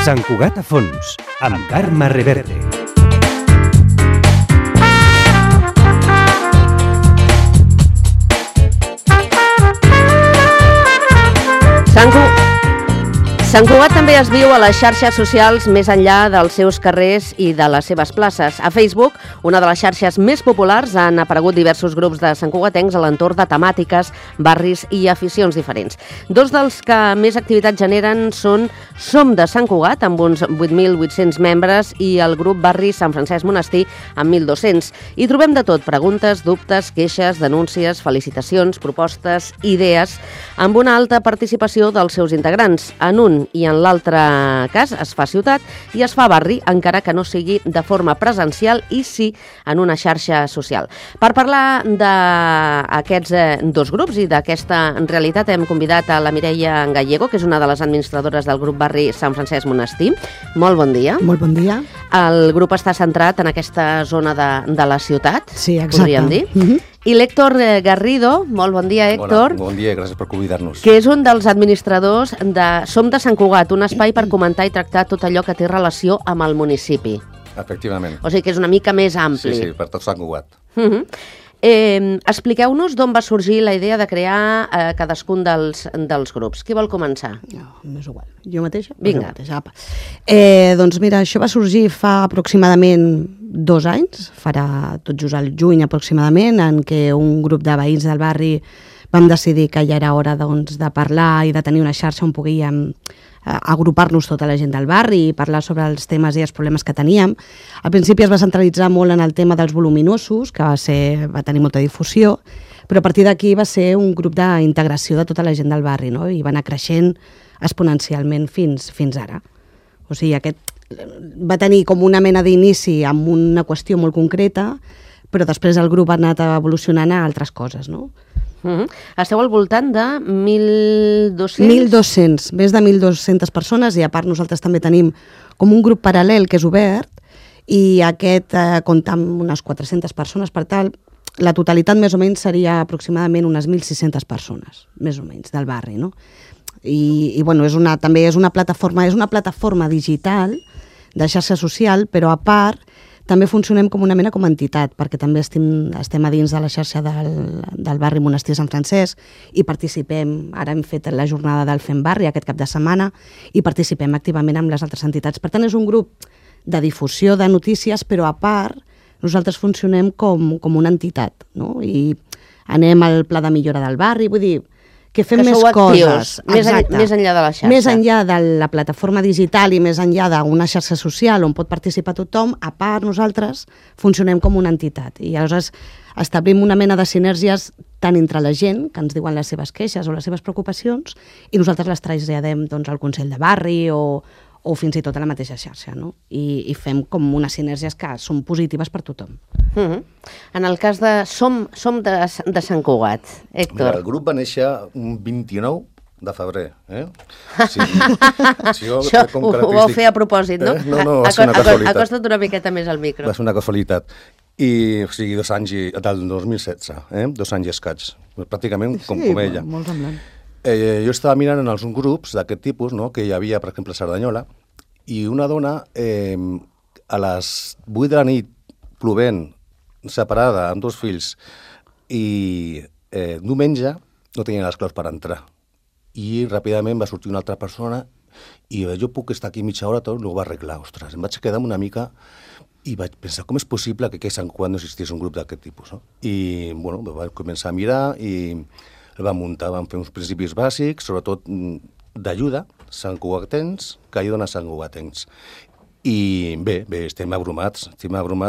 Sant Cugat a fons, amb Carme Reverte. Sant Cugat també es viu a les xarxes socials més enllà dels seus carrers i de les seves places. A Facebook, una de les xarxes més populars, han aparegut diversos grups de santcugatencs a l'entorn de temàtiques, barris i aficions diferents. Dos dels que més activitat generen són Som de Sant Cugat, amb uns 8.800 membres, i el grup Barri Sant Francesc Monestir, amb 1.200. Hi trobem de tot: preguntes, dubtes, queixes, denúncies, felicitacions, propostes, idees, amb una alta participació dels seus integrants. En un i en l'altre cas es fa ciutat i es fa barri, encara que no sigui de forma presencial i sí en una xarxa social. Per parlar d'aquests dos grups i d'aquesta realitat hem convidat a la Mireia Gallego, que és una de les administradores del grup Barri Sant Francesc Monestir. Molt bon dia. Molt bon dia. El grup està centrat en aquesta zona de la ciutat, sí, exacte, podríem dir. I l'Héctor Garrido, molt bon dia, Héctor. Bon dia, gràcies per convidar-nos. Que és un dels administradors de Som de Sant Cugat, un espai per comentar i tractar tot allò que té relació amb el municipi. Efectivament. O sigui que és una mica més ampli. Sí, per tot Sant Cugat. Expliqueu-nos d'on va sorgir la idea de crear cadascun dels grups. Qui vol començar? No, m'és igual. Jo mateixa? Vinga. Jo mateixa, apa. Doncs mira, això va sorgir fa aproximadament 2 anys, farà tot just al juny aproximadament, en què un grup de veïns del barri vam decidir que ja era hora doncs, de parlar i de tenir una xarxa on poguíem agrupar-nos tota la gent del barri i parlar sobre els temes i els problemes que teníem. Al principi es va centralitzar molt en el tema dels voluminosos, que va tenir molta difusió, però a partir d'aquí va ser un grup d'integració de tota la gent del barri, no? I va anar creixent exponencialment fins ara. O sigui, aquest va tenir com una mena d'inici amb una qüestió molt concreta, però després el grup ha anat evolucionant a altres coses, no? Esteu al voltant de 1.200? 1.200, més de 1.200 persones, i a part nosaltres també tenim com un grup paral·lel que és obert, i aquest compta amb unes 400 persones, per tal, la totalitat més o menys seria aproximadament unes 1.600 persones, més o menys, del barri, no? I bueno, també és una plataforma digital de xarxa social, però a part també funcionem com una mena com a entitat, perquè també estem a dins de la xarxa del barri Monestir Sant Francesc i participem, ara hem fet la jornada del Fem Barri aquest cap de setmana i participem activament amb les altres entitats. Per tant, és un grup de difusió de notícies, però a part nosaltres funcionem com una entitat, no? I anem al pla de millora del barri, vull dir, que fem més coses. Més enllà de la xarxa. Més enllà de la plataforma digital i més enllà d'una xarxa social on pot participar tothom, a part nosaltres funcionem com una entitat. I aleshores establim una mena de sinergies tant entre la gent, que ens diuen les seves queixes o les seves preocupacions, i nosaltres les traslladem doncs, al Consell de Barri o fins i tot a la mateixa xarxa, no? I fem com unes sinergies que són positives per tothom. En el cas de Som de Sant Cugat, Héctor. Mira, el grup va néixer un 29 de febrer. Això ho vau fer a propòsit, no? No, va ser una casualitat. Acosta't una miqueta més al micro. Va ser una casualitat. I, o sigui, 2 anys, del 2016, 2 anys i escaig. Pràcticament com ella. Sí, molt semblant. Jo estava mirant en els grups d'aquest tipus, no?, que hi havia, per exemple, a Cerdanyola, i una dona a les 8 de la nit, plovent, separada, amb 2 fills, i diumenge no tenia les claus per entrar. I ràpidament va sortir una altra persona i jo puc estar aquí mitja hora, tot no ho va arreglar. Ostres, em vaig quedar una mica i vaig pensar com és possible que a Sant Cugat no existís un grup d'aquest tipus, no? I, bueno, vaig començar a mirar i el vam muntar, vam fer uns principis bàsics, sobretot d'ajuda, santcugatencs, que ajuden a santcugatencs. I bé, estem abrumats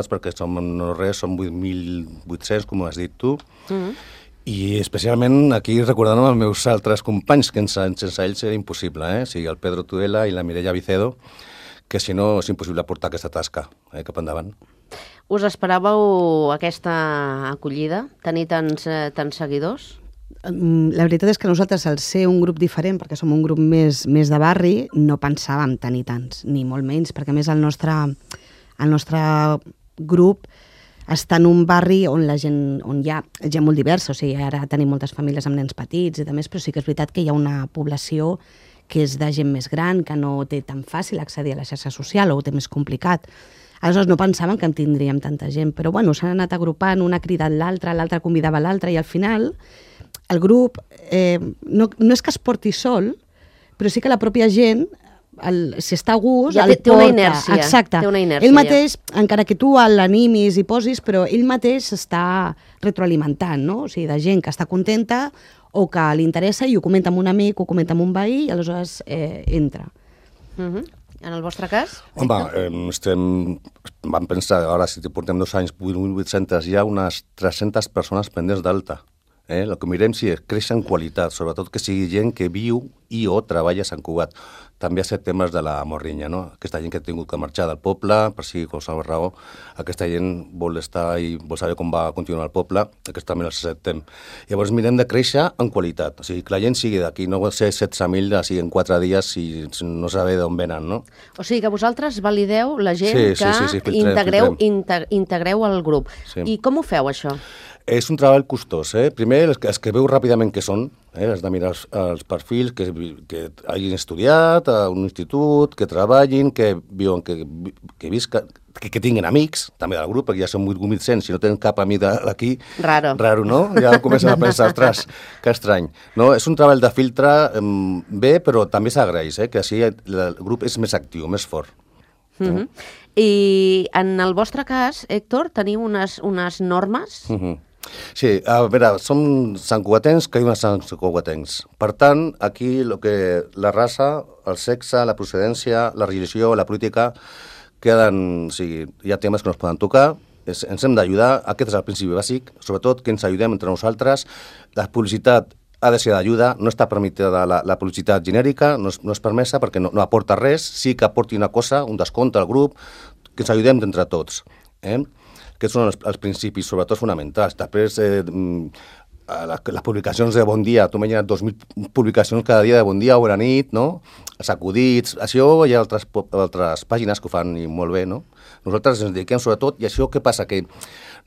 perquè som 8.800, com has dit tu, i especialment aquí recordant els meus altres companys, que sense ells era impossible, o sigui, el Pedro Tudela i la Mireia Vicedo, que si no és impossible portar aquesta tasca cap endavant. Us esperàveu aquesta acollida, tenir tants seguidors? La veritat és que nosaltres, al ser un grup diferent, perquè som un grup més de barri, no pensàvem tenir tants, ni molt menys, perquè a més el nostre grup està en un barri on la gent, on hi ha gent molt diversa, o sigui, ara tenim moltes famílies amb nens petits i més, però sí que és veritat que hi ha una població que és de gent més gran, que no té tan fàcil accedir a la xarxa social o ho té més complicat. Aleshores no pensàvem que en tindríem tanta gent, però bueno, s'han anat agrupant, una ha cridat l'altra, l'altra convidava l'altra i al final el grup no és que es porti sol, però sí que la pròpia gent, si està a gust, ja el té una porta. inèrcia. Exacte. Té una inèrcia, ell mateix, encara que tu l'animis i posis, però ell mateix s'està retroalimentant, no? O sigui, de gent que està contenta o que li interessa i ho comenta amb un amic, ho comenta amb un veí i aleshores entra. En el vostre cas? Home, vam pensar, ara si portem 2 anys, 800, hi ha unes 300 persones pendents d'alta. El que mirem si creix en qualitat, sobretot que sigui gent que viu i o treballa a Sant Cugat. També hi ha temes de la morrinya, no? Aquesta gent que ha tingut que marxar del poble, per si qualsevol raó, aquesta gent vol estar i vol saber com va continuar el poble, aquest també l'acceptem. Llavors mirem de créixer en qualitat, o sigui, que la gent sigui d'aquí, no vol ser 16.000, sigui en 4 dies i no saber d'on venen, no? O sigui que vosaltres valideu la gent que integreu al grup. Sí. I com ho feu, això? És un treball costós. Primer, els que veu ràpidament què són, has de mirar els perfils que hagin estudiat a un institut, que treballin, que viuen, que visquen, que tinguin amics, també del grup, perquè ja són 8.100, si no tenen cap amic d'aquí... Raro, no? Ja comencen a pensar, ostres, que estrany. No, és un treball de filtre bé, però també s'agraeix, que així el grup és més actiu, més fort. I en el vostre cas, Héctor, teniu unes normes? Sí, a veure, som santcugatencs que diuen santcugatencs. Per tant, aquí la raça, el sexe, la procedència, la religió, la política, queden, o sigui, hi ha temes que no es poden tocar, ens hem d'ajudar, aquest és el principi bàsic, sobretot que ens ajudem entre nosaltres, la publicitat ha de ser d'ajuda, no està permitida la publicitat genèrica, no és permesa perquè no aporta res, sí que aporti una cosa, un descompte al grup, que ens ajudem entre tots. Aquests són els principis, sobretot fonamentals. Després, les publicacions de Bon Dia, tu m'he 2.000 publicacions cada dia de Bon Dia o bona nit, no? Els acudits, això hi ha altres pàgines que ho fan i molt bé, no? Nosaltres ens dediquem sobretot, i això què passa? Que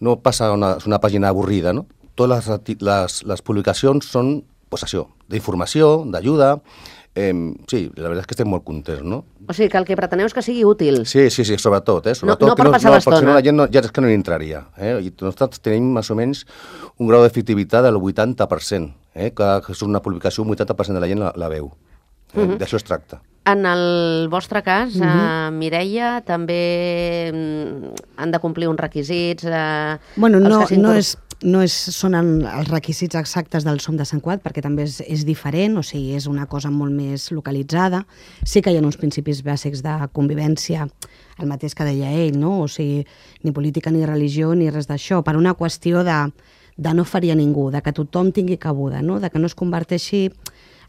no passa una pàgina avorrida, no? Totes les publicacions són, pues això, d'informació, d'ajuda. Sí, la veritat és que estem molt contents, no? O sigui, que el que preteneu és que sigui útil. Sí, sobretot. No per passar l'estona. Perquè si no la gent ja és que no hi entraria. I nosaltres tenim més o menys un grau d'efectivitat del 80%. Que és una publicació, un 80% de la gent la veu. D'això es tracta. En el vostre cas, Mireia, també han de complir uns requisits? Bueno, no són els requisits exactes del Som de Sant Cugat, perquè també és diferent, o sigui, és una cosa molt més localitzada. Sí que hi ha uns principis bàsics de convivència, el mateix que deia ell, no? O sigui, ni política, ni religió, ni res d'això, per una qüestió de no ferir a ningú, de que tothom tingui cabuda, no? De que no es converteixi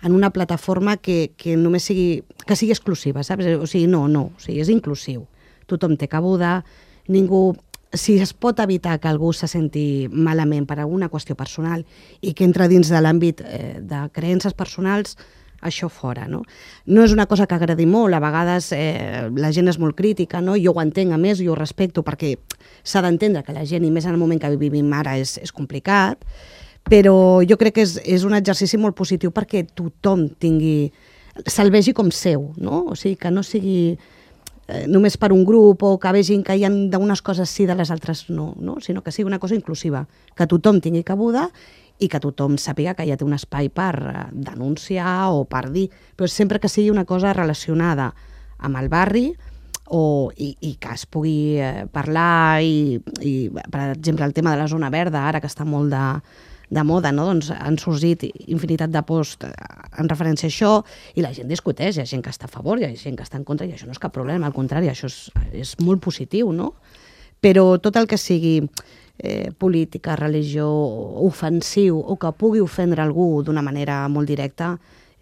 en una plataforma que només sigui exclusiva, saps? O sigui, no, o sigui, és inclusiu. Tothom té cabuda, ningú... Si es pot evitar que algú se senti malament per alguna qüestió personal i que entra dins de l'àmbit de creences personals, això fora, no? No és una cosa que agradi molt, a vegades la gent és molt crítica, no? Jo ho entenc, a més, jo ho respecto, perquè s'ha d'entendre que la gent, i més en el moment que vivim ara, és complicat, però jo crec que és un exercici molt positiu perquè tothom se'l vegi com seu, no? O sigui, que no sigui només per un grup o que vegin que hi ha d'unes coses sí, de les altres no, sinó que sigui una cosa inclusiva, que tothom tingui cabuda i que tothom sàpiga que ja té un espai per denunciar o per dir, però sempre que sigui una cosa relacionada amb el barri i que es pugui parlar i, per exemple, el tema de la zona verda, ara que està molt de moda, no? Doncs han sorgit infinitat de posts en referència a això i la gent discuteix, hi ha gent que està a favor, hi ha gent que està en contra i això no és cap problema, al contrari, això és molt positiu, no? Però tot el que sigui política, religió, ofensiu o que pugui ofendre algú d'una manera molt directa,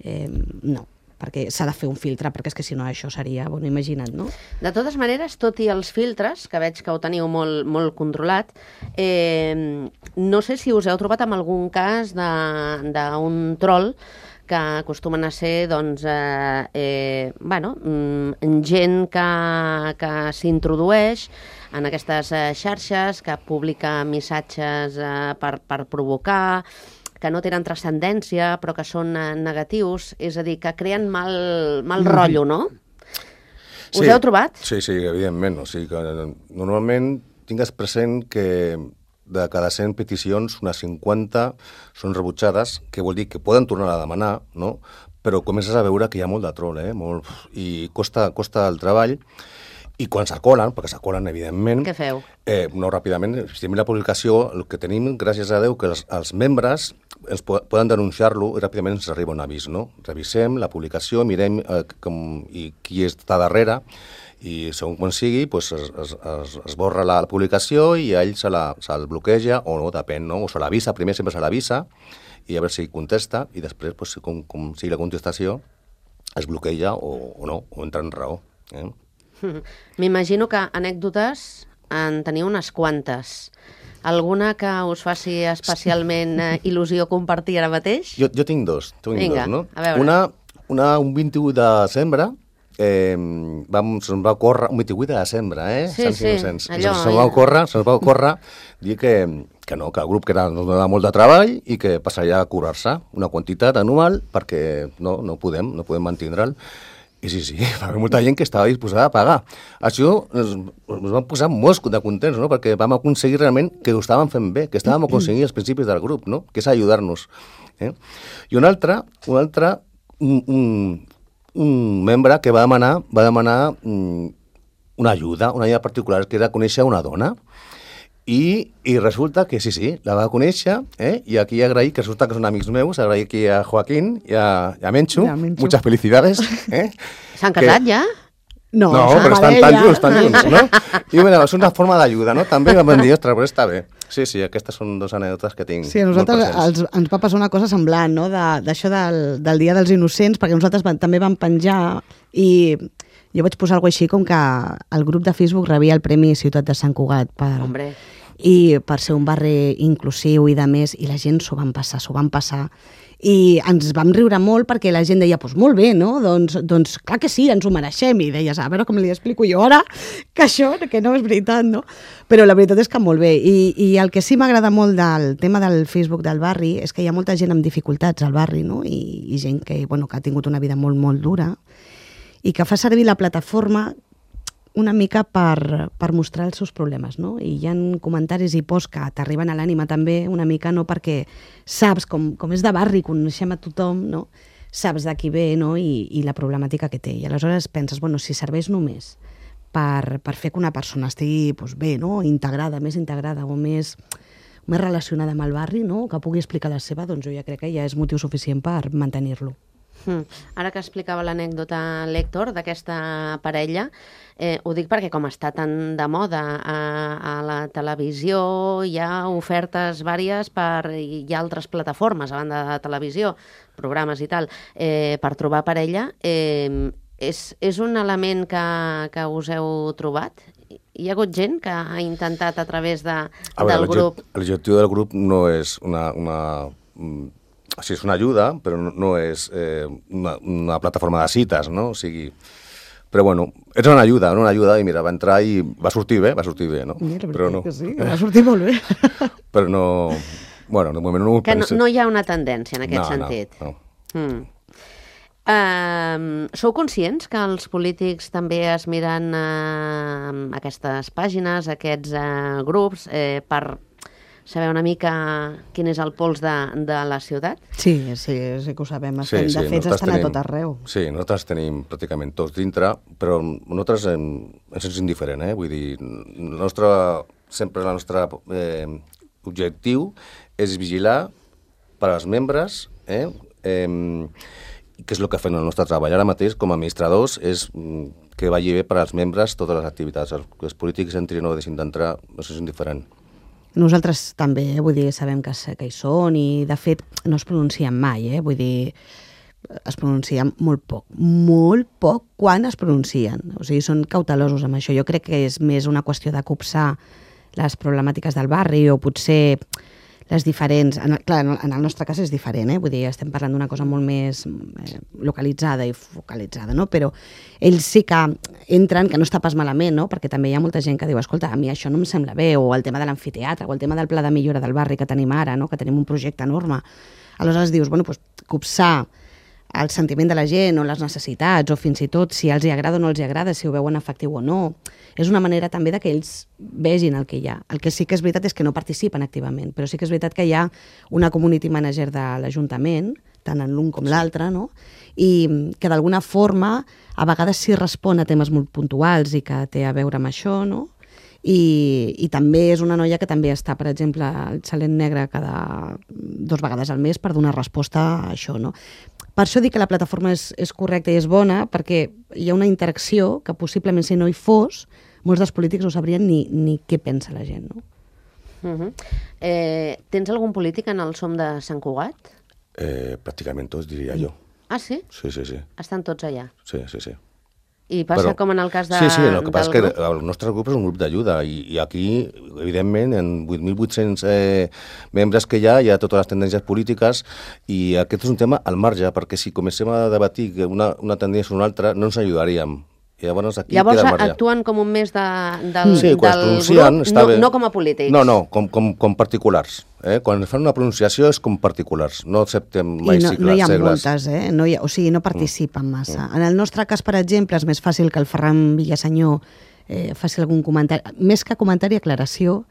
no, perquè s'ha de fer un filtre, perquè és que si no això seria, bueno, imagina't, no? De totes maneres, tot i els filtres, que veig que ho teniu molt controlat, no sé si us heu trobat amb algun cas d'un troll que acostumen a ser doncs, gent que s'introdueix en aquestes xarxes, que publica missatges per provocar, que no tenen transcendència però que són negatius, és a dir, que creen mal rotllo, no? Us heu trobat? Sí, evidentment. O sigui que normalment tingues present que de cada 100 peticions, unes 50 són rebutjades, que vol dir que poden tornar a demanar, no? Però comences a veure que hi ha molt de troll, molt, i costa el treball. I quan s'acolen, perquè s'acolen, evidentment... Què feu? No, ràpidament, si la publicació, el que tenim, gràcies a Déu, que els membres ens poden denunciar-lo i ràpidament ens arriba un avís, no? Revisem la publicació, mirem qui està darrere, i segons quan sigui, pues, es borra la publicació i a ell se'l bloqueja, o no, depèn, no? O se l'avisa, primer sempre se l'avisa, i a veure si contesta, i després, pues, com sigui la contestació, es bloqueja o no, o entra en raó. M'imagino que anècdotes en teniu unes quantes. Alguna que us faci especialment il·lusió compartir ara mateix? Jo tinc dos. Vinga, no? a veure. Un 21 de desembre, se'ns va córrer, un 28 de desembre, Sí, allò. Se'ns va córrer dir que el grup que ens donava molt de treball i que passaria a cobrar-se una quantitat anual perquè no podem mantindre'l. I sí, va haver molta gent que estava disposada a pagar. Això ens vam posar molt de contents, no? Perquè vam aconseguir realment que ho estàvem fent bé, que estàvem aconseguint els principis del grup, no? Que és ajudar-nos. I un altre, un membre que va demanar una ajuda particular, que era conèixer una dona. I resulta que sí, la va conèixer, i aquí agrair, que resulta que són amics meus, agrair aquí a Joaquín i a Menchu, muchas felicidades. S'han casat ja? No, però estan tan junts, no? I mira, és una forma d'ajuda, no? També vam dir, ostres, però està bé. Sí, aquestes són dues anècdotes que tinc. Sí, a nosaltres ens va passar una cosa semblant, no? D'això del Dia dels Innocents, perquè nosaltres també vam penjar i jo vaig posar alguna cosa així com que el grup de Facebook rebia el Premi Ciutat de Sant Cugat per ser un barri inclusiu i de més, i la gent s'ho van passar. I ens vam riure molt perquè la gent deia, doncs molt bé, no? Doncs clar que sí, ens ho mereixem. I deies, a veure com li explico jo ara que això, que no és veritat, no? Però la veritat és que molt bé. I el que sí m'agrada molt del tema del Facebook del barri és que hi ha molta gent amb dificultats al barri, no? I gent que ha tingut una vida molt, molt dura i que fa servir la plataforma una mica per mostrar els seus problemes, no? I hi ha comentaris i posts que t'arriben a l'ànima també una mica, no? Perquè saps, com és de barri, coneixem a tothom, no? Saps de qui ve, no? I la problemàtica que té. I aleshores penses, si serveix només per fer que una persona estigui bé, no? Més integrada o més relacionada amb el barri, no? Que pugui explicar la seva, doncs jo ja crec que ja és motiu suficient per mantenir-lo. Ara que explicava l'anècdota l'Héctor d'aquesta parella, ho dic perquè com està tan de moda a la televisió, hi ha ofertes vàries hi ha altres plataformes a banda de televisió, programes i tal, per trobar parella. És un element que us heu trobat? Hi ha hagut gent que ha intentat a través del grup? L'objectiu del grup no és és una ajuda, però no és una plataforma de cites, no? O sigui, però bueno, és una ajuda, i mira, va entrar i va sortir bé, no? Mira, però no. Que sí, va sortir molt bé. Però no, de moment no ho penso. Que no hi ha una tendència en aquest sentit. No. Sou conscients que els polítics també es miren aquestes pàgines, aquests grups, per saber una mica quin és el pols de la ciutat? Sí que ho sabem. De fet, estan a tot arreu. Sí, nosaltres tenim pràcticament tots dintre, però nosaltres ens és indiferent, Vull dir, el nostre objectiu és vigilar per als membres, que és el que fem el nostre treball. Ara mateix, com a administradors, és que vagi bé per als membres totes les activitats. Els polítics entrin o deixin d'entrar, això és indiferent. Nosaltres també, sabem que hi són i, de fet, no es pronuncien mai, vull dir, es pronuncien molt poc quan es pronuncien. O sigui, són cautelosos amb això. Jo crec que és més una qüestió de copsar les problemàtiques del barri o potser les diferents... Clar, en el nostre cas és diferent, vull dir, estem parlant d'una cosa molt més localitzada i focalitzada, no? Però ells sí que entren, que no està pas malament, no? Perquè també hi ha molta gent que diu, escolta, a mi això no em sembla bé, o el tema de l'amfiteatre, o el tema del pla de millora del barri que tenim ara, no? Que tenim un projecte enorme. Aleshores dius, bueno, doncs, copsar el sentiment de la gent o les necessitats o fins i tot si els hi agrada o no els hi agrada, si ho veuen efectiu o no. És una manera també de que ells vegin el que hi ha. El que sí que és veritat és que no participen activament, però sí que és veritat que hi ha una community manager de l'Ajuntament, tant en l'un com l'altre, no? I que d'alguna forma a vegades sí respon a temes molt puntuals i que té a veure amb això, no? I també és una noia que també està, per exemple, al Xalet Negre cada 2 vegades al mes per donar resposta a això, no? Per això dic que la plataforma és correcta i és bona, perquè hi ha una interacció que possiblement si no hi fos, molts dels polítics no sabrien ni què pensa la gent, no? Tens algun polític en el SOM de Sant Cugat? Pràcticament tots, diria jo. Ah, sí? Sí. Estan tots allà? Sí. I passa com en el cas de... Sí, el que passa és que el nostre grup és un grup d'ajuda i aquí, evidentment, en 8.800 membres que hi ha totes les tendències polítiques i aquest és un tema al marge, perquè si comencem a debatir una tendència o una altra, no ens ajudaríem. Llavors actuen com un mes del grup, no com a polítics. No, com particulars. Quan fan una pronunciació és com particulars, no acceptem mai segles. No hi ha moltes, o sigui, no participen massa. En el nostre cas, per exemple, és més fàcil que el Ferran Villasenyor faci algun comentari, més que comentari, aclaració,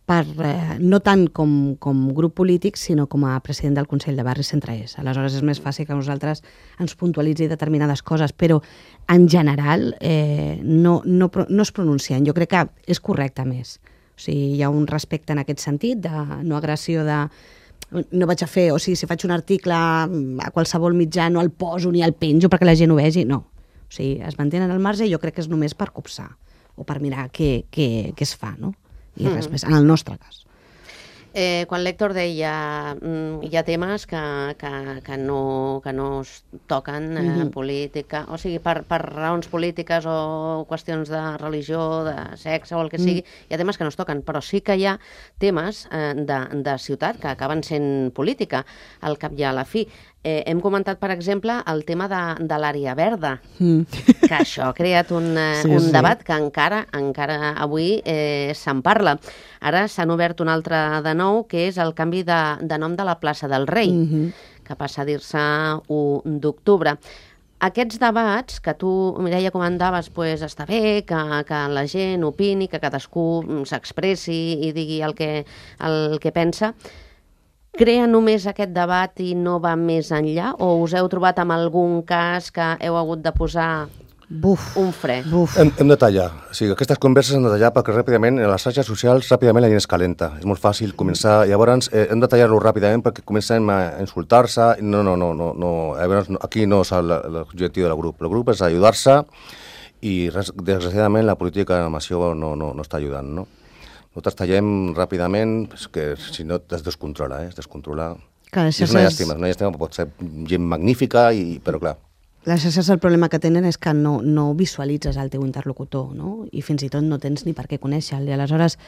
no tant com grup polític, sinó com a president del Consell de Barri Centre-Est. Aleshores és més fàcil que nosaltres ens puntualitzi determinades coses, però en general no es pronuncien. Jo crec que és correcte més. O sigui, hi ha un respecte en aquest sentit, de no agressió de... No vaig a fer, o sigui, si faig un article a qualsevol mitjà no el poso ni el penjo perquè la gent ho vegi, no. O sigui, es mantenen al marge i jo crec que és només per copsar o per mirar què es fa, no? I res més, en el nostre cas. Quan l'Héctor deia hi ha temes que no es toquen política, o sigui, per raons polítiques o qüestions de religió, de sexe o el que sigui, hi ha temes que no es toquen, però sí que hi ha temes de ciutat que acaben sent política al cap i a la fi. Hem comentat, per exemple, el tema de l'àrea verda, que això ha creat un debat que encara avui se'n parla. Ara s'han obert un altre de nou, que és el canvi de nom de la plaça del Rei, que passa a dir-se 1 d'octubre. Aquests debats que tu, Mireia, comentaves, està bé que la gent opini, que cadascú s'expressi i digui el que pensa. Crea només aquest debat i no va més enllà? O us heu trobat amb algun cas que heu hagut de posar un fre? Hem de tallar. O sigui, aquestes converses hem de tallar perquè ràpidament, en les xarxes socials, ràpidament la gent es calenta. És molt fàcil començar. Llavors, hem de tallar-lo ràpidament perquè comencem a insultar-se. No. Llavors, aquí no és l'objectiu del grup. El grup és ajudar-se i, desgraciadament, la política amb això no està ajudant, no? Nosaltres tallem ràpidament, que si no es descontrola, es descontrola. És una llàstima, pot ser gent magnífica, però clar. Les xarxes el problema que tenen és que no visualitzes el teu interlocutor, no? I fins i tot no tens ni per què conèixer-lo. I aleshores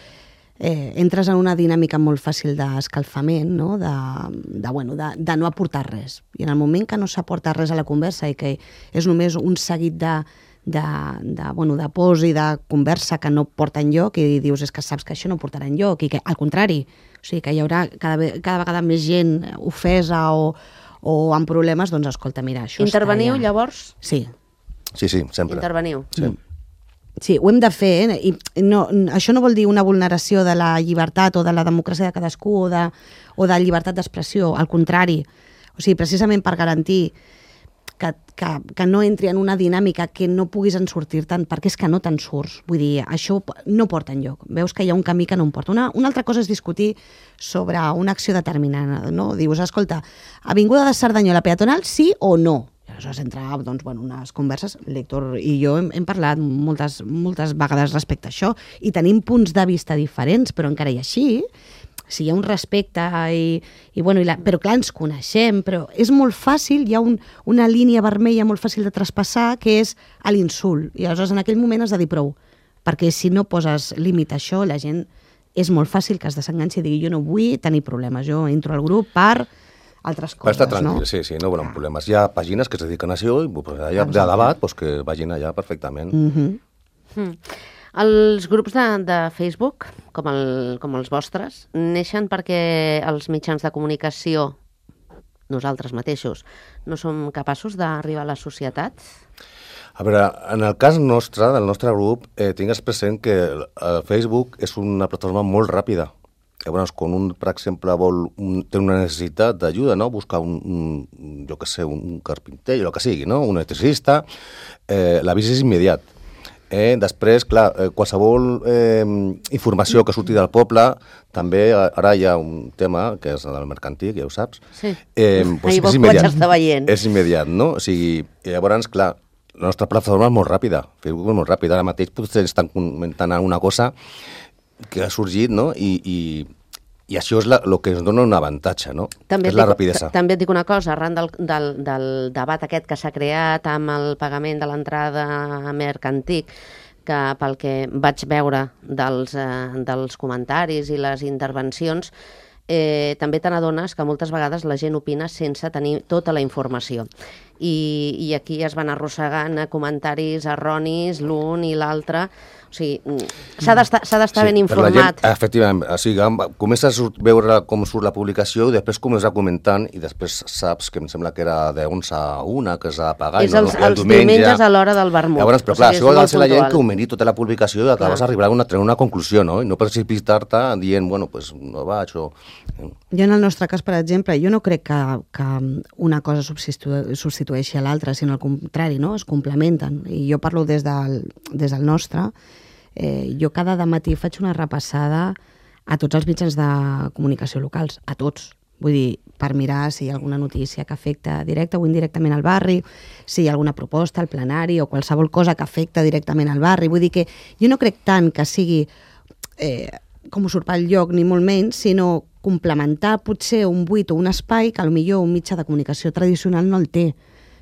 entres en una dinàmica molt fàcil d'escalfament, no? De no aportar res. I en el moment que no s'aporta res a la conversa i que és només un seguit de pors i de conversa que no porta enlloc i dius és que saps que això no portarà enlloc i que al contrari, o sigui que hi haurà cada vegada més gent ofesa o amb problemes, doncs escolta, mira, això Interveniu llavors? Sí. Sí, sempre. Interveniu. Sí, ho hem de fer, i això no vol dir una vulneració de la llibertat o de la democràcia de cadascú o de llibertat d'expressió, al contrari. O sigui, precisament per garantir que no entri en una dinàmica que no puguis en sortir tant, perquè és que no te'n surts. Vull dir, això no porta enlloc. Veus que hi ha un camí que no em porta. Una altra cosa és discutir sobre una acció determinada, no? Dius, escolta, avinguda de Cerdanyola peatonal, sí o no? I aleshores entra unes converses. L'Héctor i jo hem parlat moltes vegades respecte a això i tenim punts de vista diferents, però encara i així, si hi ha un respecte però clar, ens coneixem, però és molt fàcil, hi ha una línia vermella molt fàcil de traspassar, que és l'insult. I aleshores en aquell moment has de dir prou, perquè si no poses límit a això, la gent és molt fàcil que es desenganxi i digui jo no vull tenir problemes, jo entro al grup per altres coses, estar tranquil, no? sí, no volen problemes. Hi ha pàgines que es dediquen a això i hi ha de debat que vagin allà perfectament. Els grups de Facebook, com els vostres, neixen perquè els mitjans de comunicació, nosaltres mateixos, no som capaços d'arribar a la societat? A veure, en el cas nostre, del nostre grup, tingues present que el Facebook és una plataforma molt ràpida. Llavors, quan un, per exemple, té una necessitat d'ajuda, no? Buscar jo què sé, un carpinter, o el que sigui, no? Un electricista, l'avís és immediat. Després, clar, qualsevol informació que surti del poble, també ara hi ha un tema, que és el mercantil, ja ho saps. Sí, Doncs és immediat. És immediat, no? O sigui, llavors, clar, la nostra plataforma és molt ràpida, Facebook és molt ràpida. Ara mateix potser estan comentant alguna cosa que ha sorgit, no? I això és el que ens dona un avantatge, no? És la rapidesa. També et dic una cosa, arran del debat aquest que s'ha creat amb el pagament de l'entrada a Mercantic, que pel que vaig veure dels comentaris i les intervencions, també te n'adones que moltes vegades la gent opina sense tenir tota la informació. I aquí es van arrossegant comentaris erronis l'un i l'altre. O sigui, s'ha d'estar ben informat. Gent, efectivament, o sigui, comences a veure com surt la publicació i després comences comentant i després saps que em sembla que era de 11 a 1, que s'ha de pagar. És els diumenges a l'hora del vermut. Llavors, però clar, això ha de ser la gent que ho miri tota la publicació i acabes arribant a tenir una conclusió, no? I no precipitar-te dient, bueno, pues no vaig o... Jo en el nostre cas, per exemple, jo no crec que una cosa substitueixi a l'altra, sinó al contrari, no? Es complementen. I jo parlo des del nostre. Jo cada dematí faig una repassada a tots els mitjans de comunicació locals, a tots. Vull dir, per mirar si hi ha alguna notícia que afecta directa o indirectament al barri, si hi ha alguna proposta al plenari o qualsevol cosa que afecta directament al barri. Vull dir que jo no crec tant que sigui com usurpar el lloc, ni molt menys, sinó complementar potser un buit o un espai que potser un mitjà de comunicació tradicional no el té.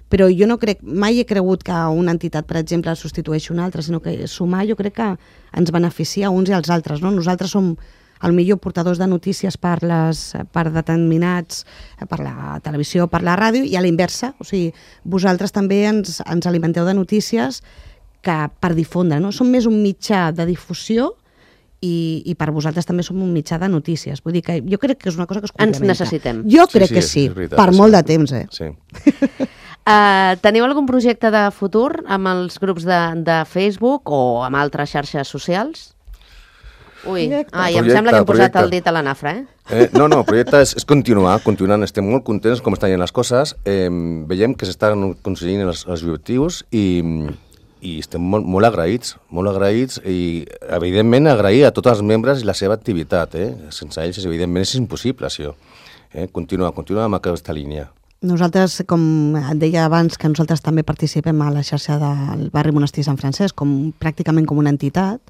Però jo no crec, mai he cregut que una entitat, per exemple, substitueixi una altra, sinó que sumar jo crec que ens beneficia uns i els altres, no? Nosaltres som potser portadors de notícies per determinats, per la televisió, per la ràdio, i a la inversa, o sigui, vosaltres també ens alimenteu de notícies per difondre, no? Som més un mitjà de difusió i per vosaltres també som un mitjà de notícies. Vull dir que jo crec que és una cosa que es complementa. Ens necessitem. Jo crec que sí, per molt de temps, Sí. Teniu algun projecte de futur amb els grups de Facebook o amb altres xarxes socials? Ui, em sembla que hem posat el dit a la nafra, No, el projecte és continuant. Estem molt contents com estan les coses. Veiem que s'estan aconseguint els objectius i estem molt agraïts i, evidentment, agrair a tots els membres i la seva activitat. Sense ells, evidentment, és impossible, això. Continuar amb aquesta línia. Nosaltres, com et deia abans, que nosaltres també participem a la xarxa del barri Monestir Sant Francesc, pràcticament com una entitat.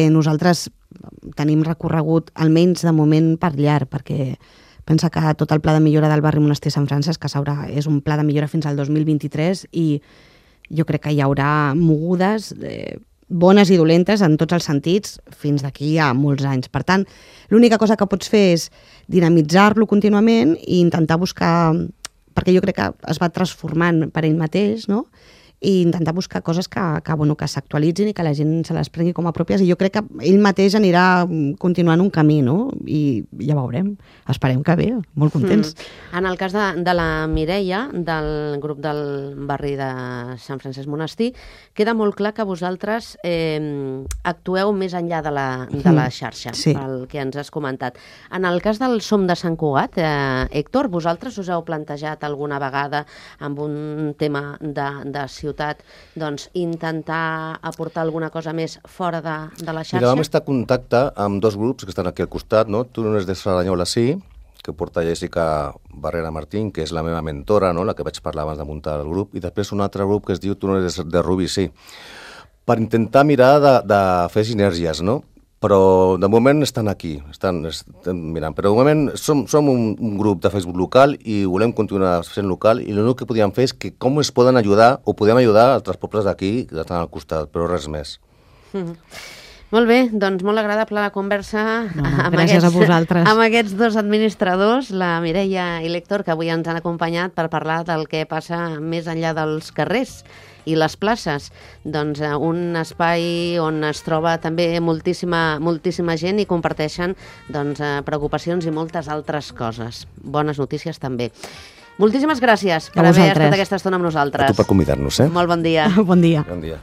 Nosaltres tenim recorregut, almenys de moment, per llarg, perquè pensa que tot el pla de millora del barri Monestir Sant Francesc, que és un pla de millora fins al 2023, i jo crec que hi haurà mogudes bones i dolentes en tots els sentits fins d'aquí a molts anys. Per tant, l'única cosa que pots fer és dinamitzar-lo contínuament i intentar buscar, perquè jo crec que es va transformant per ell mateix, no? I intentar buscar coses que s'actualitzin i que la gent se les prengui com a pròpies, i jo crec que ell mateix anirà continuant un camí, no? I ja veurem, esperem que bé, molt contents. En el cas de la Mireia, del grup del barri de Sant Francesc Monestir, queda molt clar que vosaltres actueu més enllà de la xarxa, sí, pel que ens has comentat. En el cas del Som de Sant Cugat, Héctor, vosaltres us heu plantejat alguna vegada amb un tema de ciutat, doncs, intentar aportar alguna cosa més fora de la xarxa? Mira, vam estar en contacte amb dos grups que estan aquí al costat, no? Tu no és de Cerdanyola, sí, que porta Jessica Barrera Martín, que és la meva mentora, no? La que vaig parlar abans de muntar el grup, i després un altre grup que es diu Tu no eres de Rubí, sí, per intentar mirar de fer sinergies, no? Però de moment estan aquí, estan mirant. Però de moment som un grup de Facebook local i volem continuar sent local, i l'únic que podíem fer és que com es poden ajudar o podem ajudar altres pobles d'aquí que estan al costat, però res més. Molt bé, doncs molt agradable la conversa gràcies a vosaltres. Amb aquests dos administradors, la Mireia i l'Héctor, que avui ens han acompanyat per parlar del que passa més enllà dels carrers i les places. Doncs un espai on es troba també moltíssima gent i comparteixen preocupacions i moltes altres coses. Bones notícies també. Moltíssimes gràcies per haver estat aquesta estona amb nosaltres. A tu per convidar-nos, Molt bon dia. Bon dia. Bon dia.